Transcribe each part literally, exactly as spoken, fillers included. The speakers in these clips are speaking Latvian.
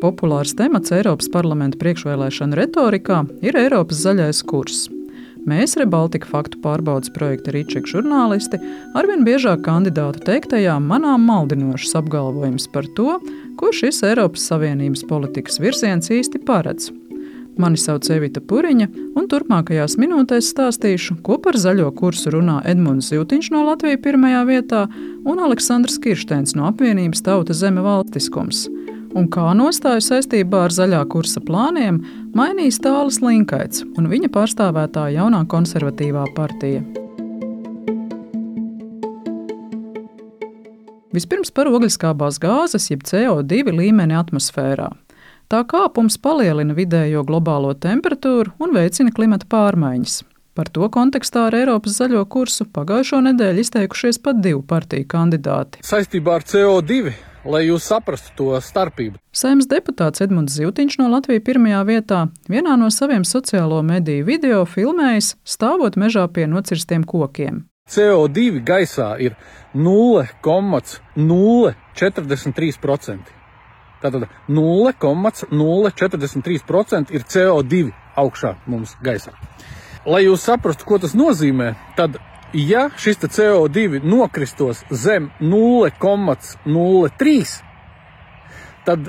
populārs temats Eiropas parlamenta priekšvēlēšanu retorikā ir Eiropas zaļais kurs. Mēs, Rebaltika faktu pārbaudes projekta Rīčeka žurnālisti, arvien biežāk kandidātu teiktajā manām maldinošas apgalvojums par to, ko šis Eiropas Savienības politikas virziens īsti paredz. Mani sauc Evita Puriņa, un turpmākajās minūtēs stāstīšu, ko par zaļo kursu runā Edmunds Zivtiņš no Latvija pirmajā vietā un Aleksandrs Kiršteins no apvienības Tauta zeme valstiskums. Un kā nostāju saistībā ar zaļā kursa plāniem mainīs Tālis Linkaits un viņa pārstāvētā jaunā konservatīvā partija. Vispirms par ogleskābās gāzes, jeb C O divi līmeni atmosfērā. Tā kāpums palielina vidējo globālo temperatūru un veicina klimata pārmaiņas. Par to kontekstā ar Eiropas zaļo kursu pagājušo nedēļu izteikušies pat divu partiju kandidāti. Saistībā ar C O divi, lai jūs saprastu to starpību. Saeimas deputāts Edmunds Zivtiņš no Latvija pirmajā vietā vienā no saviem sociālo mediju video filmējis, stāvot mežā pie nocirstiem kokiem. C O divi gaisā ir nulle komats nulle četrdesmit trīs procenti. Tātad nulle komats nulle četrdesmit trīs procenti ir C O divi augšā mums gaisā. Lai jūs saprastu, ko tas nozīmē, tad, ja šis C O divi nokristos zem nulle komats nulle trīs, tad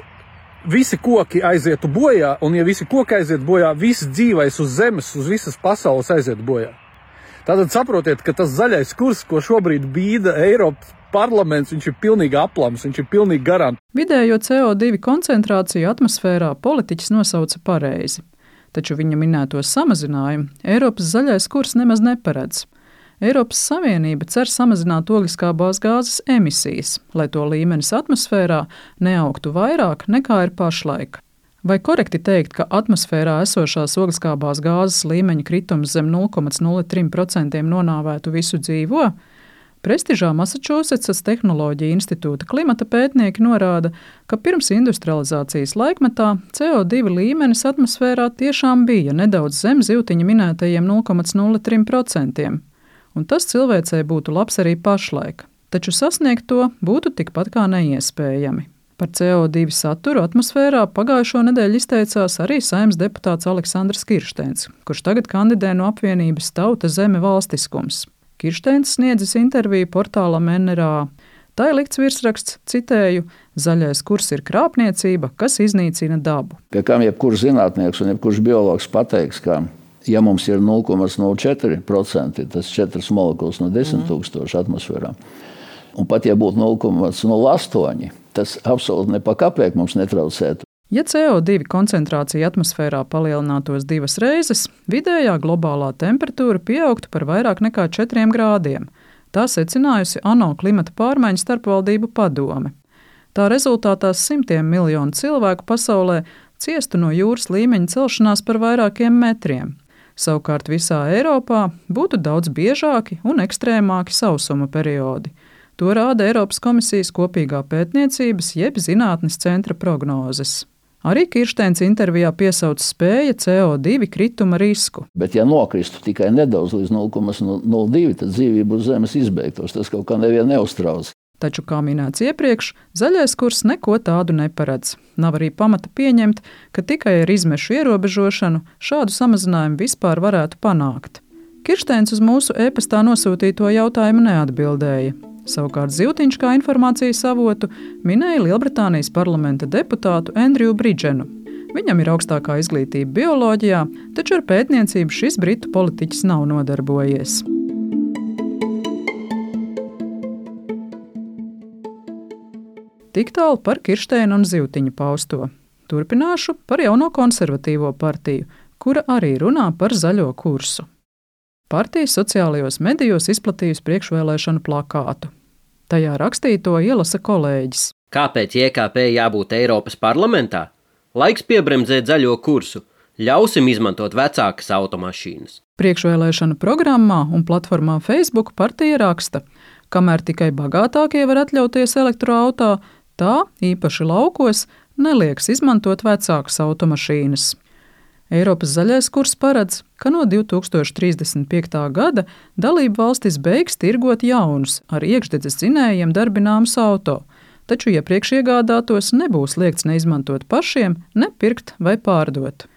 visi koki aizietu bojā, un ja visi koki aiziet bojā, viss dzīvais uz zemes, uz visas pasaules aiziet bojā. Tātad saprotiet, ka tas zaļais kurs, ko šobrīd bīda Eiropas parlaments, viņš ir pilnīgi aplams, viņš ir pilnīgi garants. Vidējo C O divi koncentrāciju atmosfērā politiķis nosauca pareizi, taču viņa minēto samazinājumu Eiropas zaļais kurs nemaz neparedz. Eiropas Savienība cer samazināt ogleskābās gāzes emisijas, lai to līmenis atmosfērā neaugtu vairāk nekā ir pašlaik. Vai korekti teikt, ka atmosfērā esošās ogleskābās gāzes līmeņa kritums zem nulle komats nulle trīs procenti nonāvētu visu dzīvo? Prestižā Masačusetsas Tehnoloģija institūta klimata pētnieki norāda, ka pirms industrializācijas laikmetā C O divi līmenis atmosfērā tiešām bija nedaudz zem Zivtiņa minētajiem nulle komats nulle trīs procenti, un tas cilvēcei būtu labs arī pašlaik, taču sasniegt to būtu tikpat kā neiespējami. Par C O divi saturu atmosfērā pagājušo nedēļu izteicās arī Saeimas deputāts Aleksandrs Kiršteins, kurš tagad kandidē no apvienības Tauta zeme valstiskums. Kiršteins sniedzis interviju portālam N R A. Tā ir likts virsraksts, citēju, zaļais kurs ir krāpniecība, kas iznīcina dabu. Pie kam jebkurš zinātnieks un jebkurš biologs pateiks, ka ja mums ir nulle komats nulle četri procenti, tas četras molekulas no desmit tūkstoši atmosfērā, un pat ja būtu nulle komats nulle astoņi, tas absolūti ne pa kapēku mums netraucētu. Ja C O divi koncentrācija atmosfērā palielinātos divas reizes, vidējā globālā temperatūra pieaugtu par vairāk nekā četriem grādiem. Tā secinājusi ANO klimata pārmaiņu starpvaldību padome. Tā rezultātā simtiem miljonu cilvēku pasaulē ciestu no jūras līmeņa celšanās par vairākiem metriem. Savukārt visā Eiropā būtu daudz biežāki un ekstrēmāki sausuma periodi. To rāda Eiropas komisijas kopīgā pētniecības jeb zinātnes centra prognozes. Arī Kiršteins intervijā piesauc spēja C O divi krituma risku. Bet ja nokristu tikai nedaudz līdz nulle komats nulle divi, tad dzīvība uz zemes izbeigtos. Tas kaut kā nevienu neuztrauc. Taču, kā minēts iepriekš, zaļais kurs neko tādu neparedz. Nav arī pamata pieņemt, ka tikai ar izmešu ierobežošanu šādu samazinājumu vispār varētu panākt. Kiršteins uz mūsu e-pastā nosūtīto jautājumu neatbildēja. Savukārt Zivtiņš kā informācijas avotu minēja Lielbritānijas parlamenta deputātu Andriju Bridženu. Viņam ir augstākā izglītība bioloģijā, taču ar pētniecību šis britu politiķis nav nodarbojies. Tik tālu par Kiršteina un Zivtiņa pausto. Turpināšu par jauno konservatīvo partiju, kura arī runā par zaļo kursu. Partija sociālajos medijos izplatījusi priekšvēlēšanu plakātu. Tajā rakstīto ielasa kolēģis. Kāpēc J K P jābūt Eiropas parlamentā? Laiks piebremzēt zaļo kursu. Ļausim izmantot vecākas automašīnas. Priekšvēlēšanu programmā un platformā Facebook partija raksta, kamēr tikai bagātākie var atļauties elektroautā, tā, īpaši laukos, nelieks izmantot vecākas automašīnas. Eiropas zaļais kurs paredz, ka no divi tūkstoši trīsdesmit piektā gada dalību valstis beigs tirgot jaunus ar iekšdedzes dzinējiem darbināmus auto. taču iepriekš iegādātos nebūs liegts neizmantot pašiem, ne pirkt vai pārdot.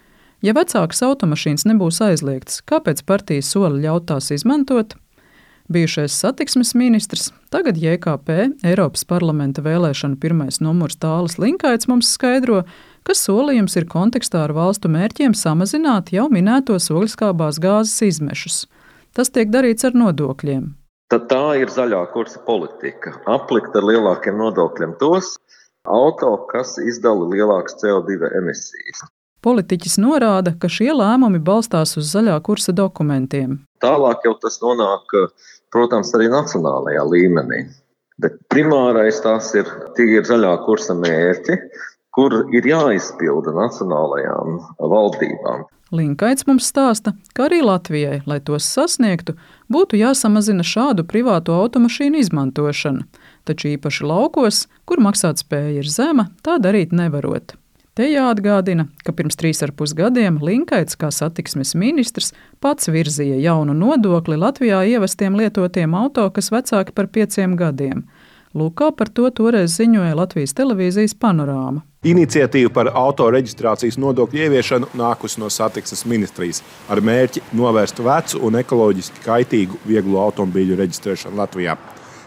Ja vecākas automašīnas nebūs aizliegtas, kāpēc partija sola ļaut tās izmantot? Bijušais satiksmes ministrs, tagad J K P, Eiropas parlamenta vēlēšanu pirmais numurs Tālis Linkaits mums skaidro, ka solījums ir kontekstā ar valstu mērķiem samazināt jau minētos ogleskābās gāzes izmešus. Tas tiek darīts ar nodokļiem. Tad tā ir zaļā kursa politika. Aplikt ar lielākiem nodokļiem tos auto, kas izdala lielākas C O divi emisijas. Politiķis norāda, ka šie lēmumi balstās uz zaļā kursa dokumentiem. Tālāk jau tas nonāk, protams, arī nacionālajā līmenī. Bet primārais tās ir tie zaļā kursa mērķi, kur ir jāizpilda nacionālajām valdībām. Linkaits mums stāsta, ka arī Latvijai, lai tos sasniegtu, būtu jāsamazina šādu privāto automašīnu izmantošana, taču īpaši laukos, kur maksātspēja ir zema, tā darīt nevarot. Te jāatgādina, ka pirms trīs ar pus gadiem Linkaits kā satiksmes ministrs pats virzīja jaunu nodokli Latvijā ievestiem lietotiem auto, kas vecāki par pieciem gadiem. Lūk, kā par to toreiz ziņoja Latvijas televīzijas Panorāma. Iniciatīva par auto reģistrācijas nodokļu ieviešanu nākusi no satiksmes ministrijas ar mērķi novērst vecu un ekoloģiski kaitīgu vieglo automobīļu reģistrēšanu Latvijā.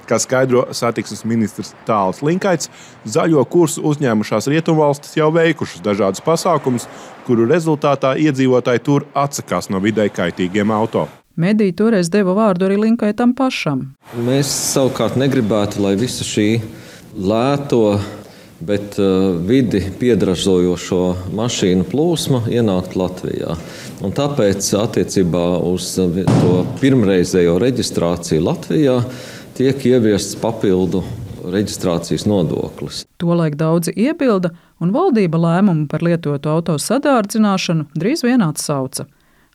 Kā skaidro satiksmes ministrs Tālis Linkaits, zaļo kursu uzņēmušās rietumvalstis jau veikušas dažādus pasākumus, kuru rezultātā iedzīvotāji tur atsakās no videi kaitīgiem auto. Mediji toreiz deva vārdu arī Linkaitam pašam. Mēs savukārt negribētu, lai visa šī lēto, bet uh, vidi piedražojošo mašīnu plūsma ienākt Latvijā. Un tāpēc attiecībā uz to pirmreizējo reģistrāciju Latvijā tiek ieviests papildu reģistrācijas nodoklis. Tolaik daudzi iebilda, un valdība lēmumu par lietotu auto sadārdzināšanu drīz vien atsauca.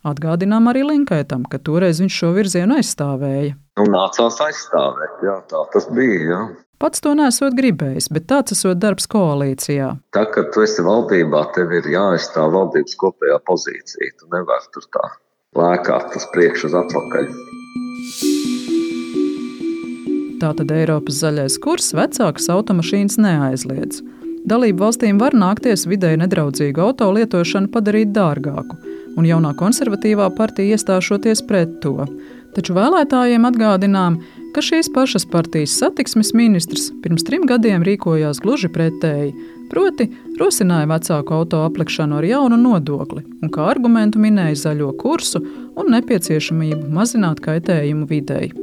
Atgādinām arī Linkaitam, ka toreiz viņš šo virzienu aizstāvēja. Un nācās aizstāvēt, jā, tā tas bija, jā. Pats to nesot gribējis, bet tāds esot darbs koalīcijā. Tā, kad tu esi valdībā, tev ir jāaizstāv valdības kopējā pozīcija. Tu nevari tur tā lēkāt uz priekšu uz atpakaļ. Tātad Eiropas zaļais kurs vecākas automašīnas neaizliedz. Dalību valstīm var nākties videi nedraudzīgu auto lietošanu padarīt dārgāku, un jaunā konservatīvā partija iestāšoties pret to. Taču vēlētājiem atgādinām, ka šīs pašas partijas satiksmes ministrs pirms trim gadiem rīkojās gluži pretēji, proti rosināja vecāku auto aplikšanu ar jaunu nodokli un kā argumentu minēja zaļo kursu un nepieciešamību mazināt kaitējumu videi.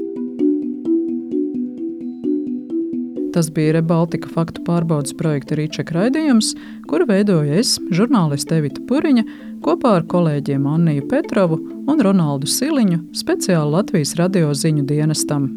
Tas bija Rebaltika faktu pārbaudes projekta Rīček raidījums, kuru veidoja es, žurnāliste Evita Puriņa, kopā ar kolēģiem Anniju Petrovu un Ronaldu Siliņu speciāli Latvijas radio ziņu dienestam.